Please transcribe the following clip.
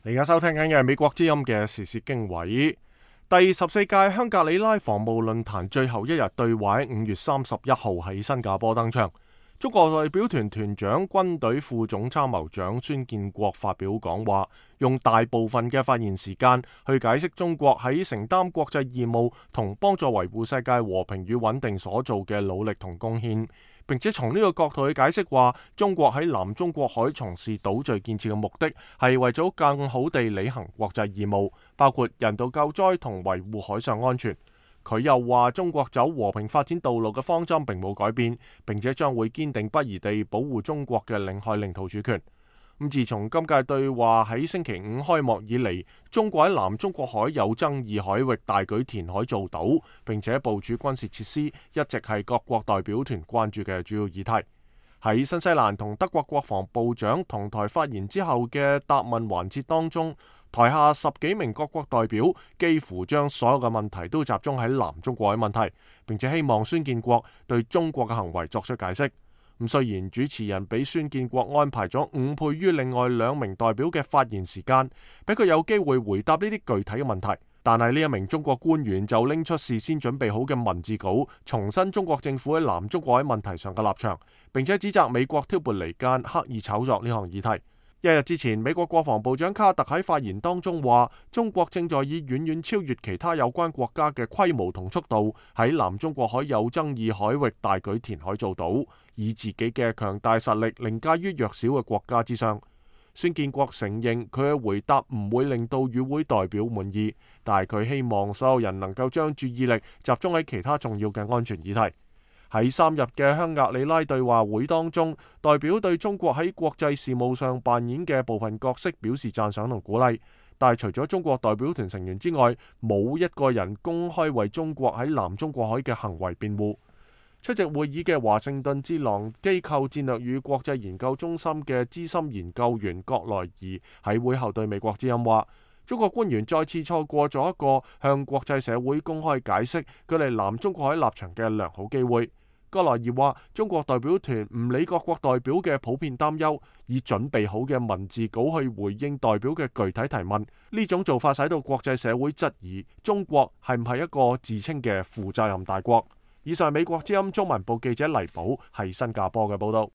你而家收聽緊嘅係美國之音嘅時事經緯。第14屆香格里拉防務論壇最後一日對話喺5月31號喺新加坡登場。中國代表團團長、軍隊副總參謀長孫建國發表講話，用大部分嘅發言時間去解釋中國喺承擔國際義務同幫助維護世界和平與穩定所做嘅努力同貢獻，並且從呢個角度去解釋話，中國喺南中國海從事島嶼建設嘅目的係為咗更好地履行國際義務，包括人道救災同維護海上安全。佢又話，中國走和平發展道路嘅方針並冇改變，並且將會堅定不移地保護中國嘅領海領土主權。自從今屆對話喺星期五開幕以嚟，中國喺南中國海有爭議海域大舉填海造島，並且部署軍事設施，一直係各國代表團關注嘅主要議題。喺新西蘭同德國國防部長同台發言之後嘅答問環節當中，台下10幾名各國代表幾乎將所有嘅問題都集中喺南中國海問題，並且希望孫建國對中國嘅行為作出解釋。雖然主持人俾孫建國安排咗5倍於另外2名代表嘅發言時間，俾佢有機會回答呢啲具體嘅問題，但係呢一名中國官員就拎出事先準備好嘅文字稿，重申中國政府喺南中國海問題上嘅立場，並且指責美國挑撥離間，刻意炒作呢項議題。一日之前，美國國防部長卡特喺發言當中話，中國正在以遠遠超越其他有關國家嘅規模同速度，喺南中國海有爭議海域大舉填海造島，以自己嘅強大實力凌駕於弱小嘅國家之上。孫建國承認佢嘅回答唔會令到與會代表滿意，但係佢希望所有人能夠將注意力集中喺其他重要嘅安全議題。喺3日嘅香格里拉對話會當中，代表對中國喺國際事務上扮演嘅部分角色表示讚賞同鼓勵，但係除咗中國代表團成員之外，冇一個人公開為中國喺南中國海嘅行為辯護。出席會議嘅華盛頓智囊機構戰略與國際研究中心嘅資深研究員葛萊儀喺會後對美國之音話，中國官員再次錯過咗一個向國際社會公開解釋佢哋南中國海立場嘅良好機會。葛萊儀話，中國代表團唔理各國代表嘅普遍擔憂，以準備好嘅文字稿去回應代表嘅具體提問，呢種做法使到國際社會質疑中國係唔係一個自稱嘅負責任大國。以上係美國之音中文部記者黎寶喺新加坡嘅報道。